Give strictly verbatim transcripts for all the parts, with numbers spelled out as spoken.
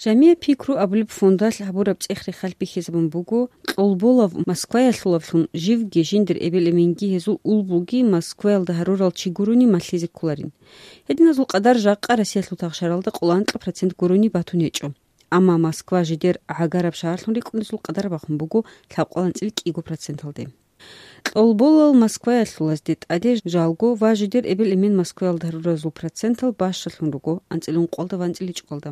Жамия пикру абулеб фондалъ гьабураб цӀех-рехалъ бихьизабун буго, кьолболав Москваялъулавлъун живги жиндир эбел-эменги гьезул улбуги Москваялда гьарурал чи гурони малъизе кколарин. Гьединазул къадар жакъа Россиялъул тахшаралда къоло анкьа процент гурони батун гьечӀо. Амма Москва жидер гӀагараб шагьарлъун рикӀкӀунезул къадар бахун буго лъабкъоялда анцӀила кӀиго проценталде. Кьолболал Москваялъулазде тӀаде жалго ва жидер эбел-эмен Москваялда гьаруразул процентал бащалъун руго анцӀила ункъоялда ва анцӀила ичӀоялда.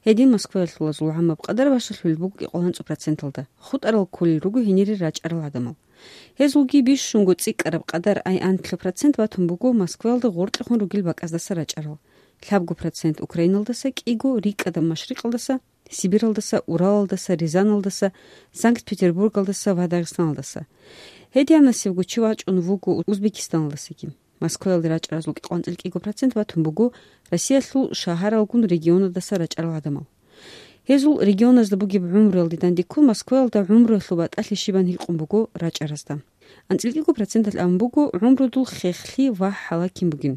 Гьедин Москваялъулазул гӀамаб къадар бащалъулел буго кӀикъоялда анцӀила проценталда, хутӀарал кколел руго гьенире рачӀарал гӀадамал. Гьезулги бищунго цӀикӀкӀараб къадар, ай анлъго процент батун буго Москваялда гъоркьехун ругел бакӀаздаса рачӀарал, лъабго процент Украиналдаса, кӀиго рикӀкӀадаб Машрикъалдаса, Сибиралдаса, Уралалдаса, Рязаналдаса, Санкт-Петербургалдаса ва Дагъистаналдаса. Гьединасебго чи вачӀун вуго Узбекистаналдасаги. Москваялде рачӀаразул кӀикъоялда анцӀила кӀиго процент батун буго Россиялъул шагьаралгун регионалдаса рачӀарал гӀадамал. Гьезул регионазда бугеб гӀумруялде дандеккун Москваялда гӀумруялъул батӀалъи щибан гьикъун буго рачӀаразда. АнцӀила кӀиго проценталъ абун буго гӀумрудул хехлъи ва хӀалакин бугин.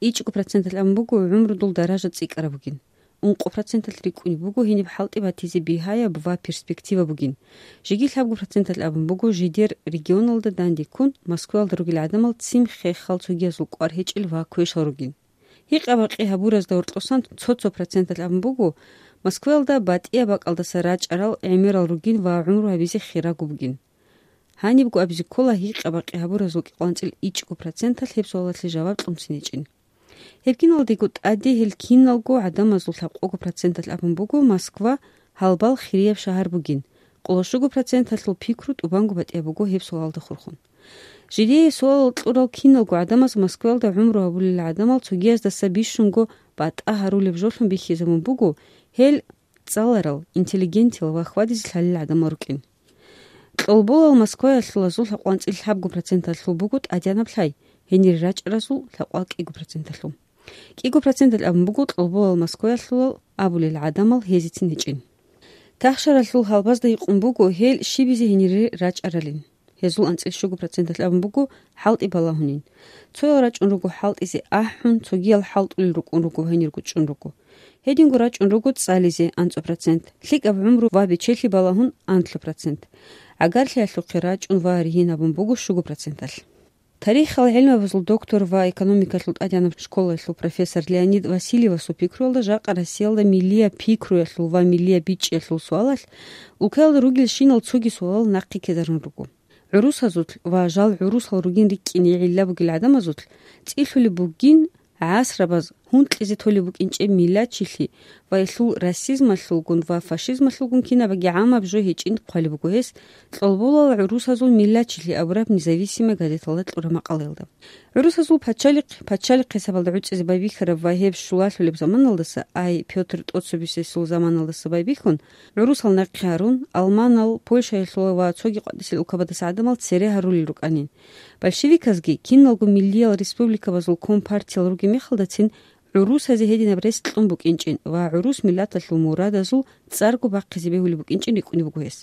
ИчӀго проценталъ абун буго гӀумрудул даража цӀикӀкӀараб бугин. Ункъо проценталъ рикӀкӀунеб буго гьениб хӀалтӀи батизе бигьаяб ва перспектива бугин. Жеги лъабго проценталъ абун буго жидер регионалда дандеккун Москваялда ругел гӀадамал ццин хехал, цогиязул кӀвар гьечӀел ва квешал ругин. Гьикъа-бакъи гьабуразда гьоркьосан цо-цо проценталъ абун буго Москваялда батӀияб бакӀалдаса рачӀарал гӀемерал ругин ва гӀумру гьабизе хирагу бугин. Гьанибго абизе ккола гьикъа-бакъи гьабуразул кӀикъоялда анцӀила ичӀго проценталъ гьеб суалалъе жаваб кьунцин гьечӀин. Гьеб киналдего тӀаде гьел киналго гӀадамазул лъабкъого проценталъ абун буго Москва гьалбал хирияб шагьар бугин, къоло щуго проценталъул пикру тӀубанго батӀияб буго гьеб суалалда хурхун. Жидее суалал кьурал киналго гӀадамаз Москваялда гӀумру гьабулел гӀадамал цогияздаса бищунго батӀа гьарулеб жолъун бихьизабун буго гьел цӀаларал, интеллигентиял ва хьвадизе лъалел гӀадамал рукӀин. Кьолболал Москваялъулазул лъабкъоялда анцӀила лъабго проценталъул буго тӀадегӀанаб лъай, гьенире рачӀаразул лъабкъоялда кӀиго проценталъул. КӀиго проценталъ абун буго кьолболал Москваялъулал абулел гӀадамал гьезецин гьечӀин. Тахшаралъул гьалбазда гьикъун буго гьел щибизе гьенире рачӀаралин. Гьезул анцӀила щуго проценталъ абун буго хӀалтӀи балагьунин. Цоял рачӀун руго хӀалтӀизе ахӀун, цогиял хӀалтӀулел рукӀун руго, гьенирго чӀун руго. Гьединго рачӀун руго цӀализе, анцӀго процент, лъикӀаб гӀумру ва бечелъи балагьун, анлъго процент. ГӀагарлъиялъухъе рачӀун ва ригьин гьабун буго щуго проценталъ. Тарихал гӀелмабазул доктор ва экономикалъул тӀадегӀанаб школалъул профессор Леонид Васильевасул пикруялда жакъа Россиялда миллияб пикруялъул ва миллияб бичӀчӀиялъул суалалъ улкаялда ругелщинал цоги суалал нахъе ккезарун руго. ГӀурусазулъ ва жал гӀурусал ругин рикӀкӀине гӀилла бугел гӀадамазулъ цӀилъулеб бугин гӀасрабаз гьункьизе толеб букӀинчӀеб миллатчилъи ва гьелъул расизмалъулгун ва фашизмалъулгун кинабаги гӀамаб жо гьечӀин хъвалеб буго гьес Кьолболал гӀурусазул миллатчилъи абураб «Независимая» газеталда кьураб макъалаялда. ГӀурусазул пачалихъ, пачалихъ хӀисабалда гӀуцӀизе байбихьараб ва гьеб щулалъулеб заманалдаса, ай Пётр тӀоцебесесул заманалдаса байбихьун, гӀурусал нахъе гьарун, алманал, Польшаялъула ва цоги къватӀисел улкабадаса гӀадамал цере гьарулел рукӀанин. Большевиказги киналго миллиял республикабазул компартиял ругеб мехалдацин гӀурусазе гьединаб рес кьун букӀинчӀин ва гӀурус миллаталъул мурадазул цӀарго бахъизе бегьулеб букӀинчӀин рикӀкӀунеб буго гьес.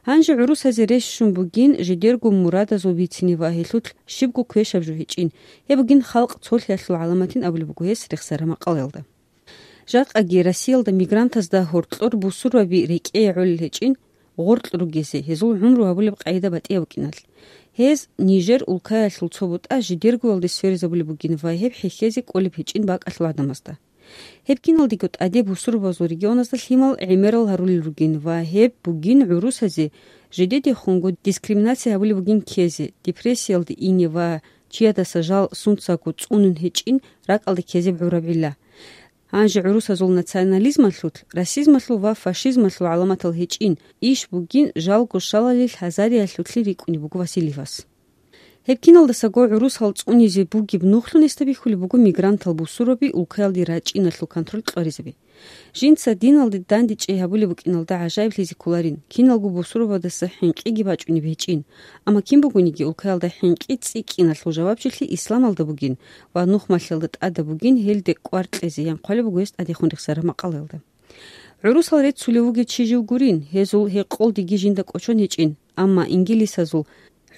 Гьанже гӀурусазе рес щун бугин жидерго мурадазул бицине ва гьелъулъ щибго квешаб жо гьечӀин, гьеб бугин халкъ цолъиялъул гӀаламатин абулеб буго гьес рехсараб макъалаялда. Жакъаги Россиялда мигрантазда гьоркьор бусурбаби рекӀее гӀолел гьечӀин, гъоркь ругезе, гьезул гӀумру гьабулеб къагӀида батӀияб букӀиналъ. Гьез Нижер улкаялъул цо бутӀа жидергоялде сверизабулеб бугин ва гьеб хӀехьезе кӀолеб гьечӀин бакӀалъул гӀадамазда. Гьеб киналдего тӀаде бусурбабазул регионазда лъимал гӀемерал гьарулел ругин ва гьеб бугин гӀурусазе жидедехунго дискриминация гьабулеб бугин ккезе, депрессиялде ине ва чиядаса жал сунцаго цӀунун гьечӀин ракӀалде ккезеб гӀураб гӀилла. Гьанже гӀурусазул национализмалъулъ, расизмалъул ва фашизмалъул гӀаламатал гьечӀин, иш бугин жалго щалалил гьазариялъулъе рикӀкӀунеб буго Васильевас. Гьеб киналдасаго гӀурусал цӀунизе бугеб нухлъун гьесда бихьулеб буго мигрантал бусурбаби улкаялде рачӀиналъул контроль кьваризаби. Жинца диналде дандечӀей гьабулеб букӀиналда гӀажаиблъизе кколарин, киналго бусурбабаздаса хӀинкъиги бачӀунеб гьечӀин. Амма кин бугониги, улкаялда хӀинкъи цӀикӀкӀиналъул жавабчилъи исламалда бугин ва нухмалъиялда тӀадаб бугин гьелде кӀвар кьезе, ян хъвалеб буго гьес тӀадехун рехсараб макъалаялда. ГӀурусал реццулев вугев чи жив гурин, гьезул гьекъолдеги жинда кӀочон гьечӀин, амма ингилисазул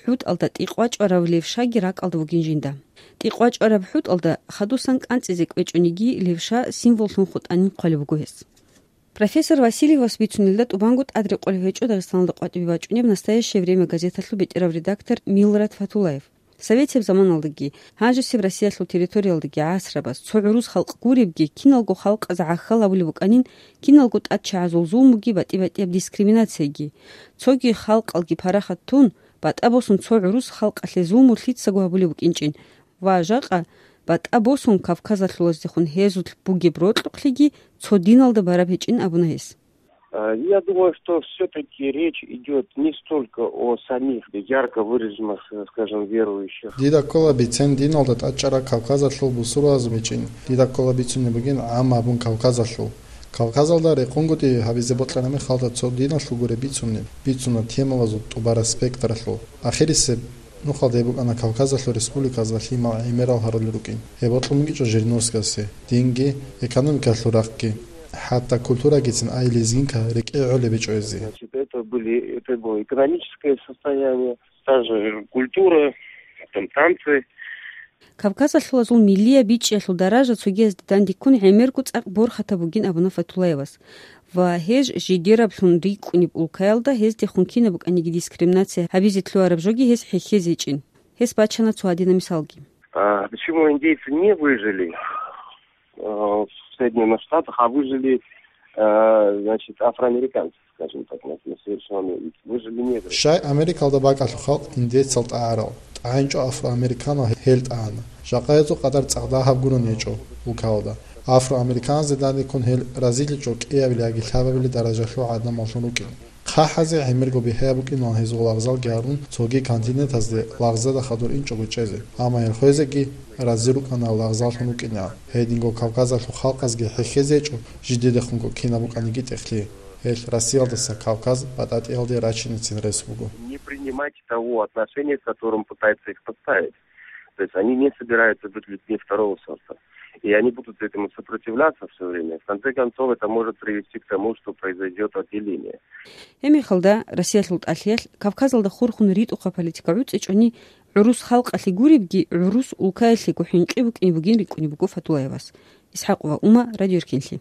хӀутӀалда тӀикъвачӀварав левшаги ракӀалда вугин жинда. ТӀикъвачӀвараб хӀутӀалда хадусан кӀанцӀизе кӀвечӀониги, левша символлъун хутӀанин хъвалеб буго гьес. Профессор Васильевас бицунелда тӀубанго тӀад рекъолев гьечӀо Дагъистаналда къватӀибе бачӀунеб «Настоящее время» газеталъул бетӀерав редактор Милрат Фатулаев. Советияб заманалдаги, гьанжесеб Россиялъул территориялдаги гӀасрабаз цо гӀурус халкъ гуребги, киналго халкъаз гӀахьал гьабулеб букӀанин, киналго тӀадчагӀазул зулмуги, батӀи-батӀияб дискриминацияги. Цоги халкъалги парахат тун, батӀа босун цо гӀурус халкъалъе зулму лъицаго гьабулеб букӀинчӀин ва жакъа батӀа босун Кавказалъулаздехун гьезулъ бугеб рокьукълъиги цо диналда бараб гьечӀин абуна гьес. Э, Я думаю, что все-таки речь идет не столько о самих ярко выраженных, э, скажем, верующих. Дида ккола бицен диналда тӀадчӀарал Кавказалъул бусурбабазул бицен, дида ккола бицунеб бугин гӀамма абун Кавказалъул. Кавказалда рекъонгутӀи гьабизе бокьараб мехалда цо диналъул гуреб бицунеб, бицуна темалазул тӀубараб спектралъул. Ахирисеб нухалда гьеб букӀана Кавказалъул республиказда лъимал гӀемерал гьарулел рукӀин. Гьеб бокьун бугичӀо Жириновскиясе, динги, экономикалъул рахъги, хӀатта культурагицин ай лезгинка рекӀее гӀолеб гьечӀо гьезие. Значит, это были, это было экономическое состояние, та же культура, там танцы. Кавказалъулазул миллияб бичӀчӀиялъул даража цогиязде дандеккун гӀемерго цӀакъ борхатаб бугин абуна Фатулаевас. Ва гьез жидераблъун рикӀкӀунеб улкаялда гьездехун кинаб букӀаниги дискриминация гьабизе лъугьараб жоги гьес хӀехьезе гьечӀин. Гьес бачана цо гьадинаб мисалги. А почему индейцы не выжили, э, в Соединенных Штатах, а выжили, э, значит, афроамериканцы, скажем так, на, на сегодняшний момент? Выжили негры. Щай Америкалда бакӀалъул халкъ индейцал тӀагӀарал, тӀагӀинчӀо афроамериканал гьел тӀагӀана. Жакъа гьезул къадар цӀакъ дагьаб гурони гьечӀо улкаялда. Афроамериканазде дандеккун гьел разиличӀо кӀиабилеб яги лъабабилеб даражалъул гӀадамаллъун рукӀин. ХъахӀазе гӀемерго бихӀияб букӀинилан гьезул лагъзалги гьарун цоги континентазде лагъзада хадур инчӀого чӀезе, амма гьел хвезеги рази рукӀана лагъзаллъун вукӀинегӀан. Гьединго Кавказалъул халкъазги хӀехьезе гьечӀо жидедехунго кинаб букӀаниги тӀехълъи. Гьел Россиялдаса Кавказ батӀатӀиялде рачинецин рес буго. Не принимать того отношения, с которым пытаются их поставить. То есть они не собираются быть людьми второго сорта. И они будут этому сопротивляться все время. В конце концов, это может привести к тому, что произойдет отделение. Гьеб мехалда Россиялъул тӀалъиялъ Кавказалда хурхун ритӀухъаб политика гӀуцӀичӀони, гӀурус халкъалъе гуребги, гӀурус улкаялъего хӀинкъи букӀине бугин рикӀкӀунеб буго Фатулаевас. ИсхӀакъова Ума, Радио Эркенлъи.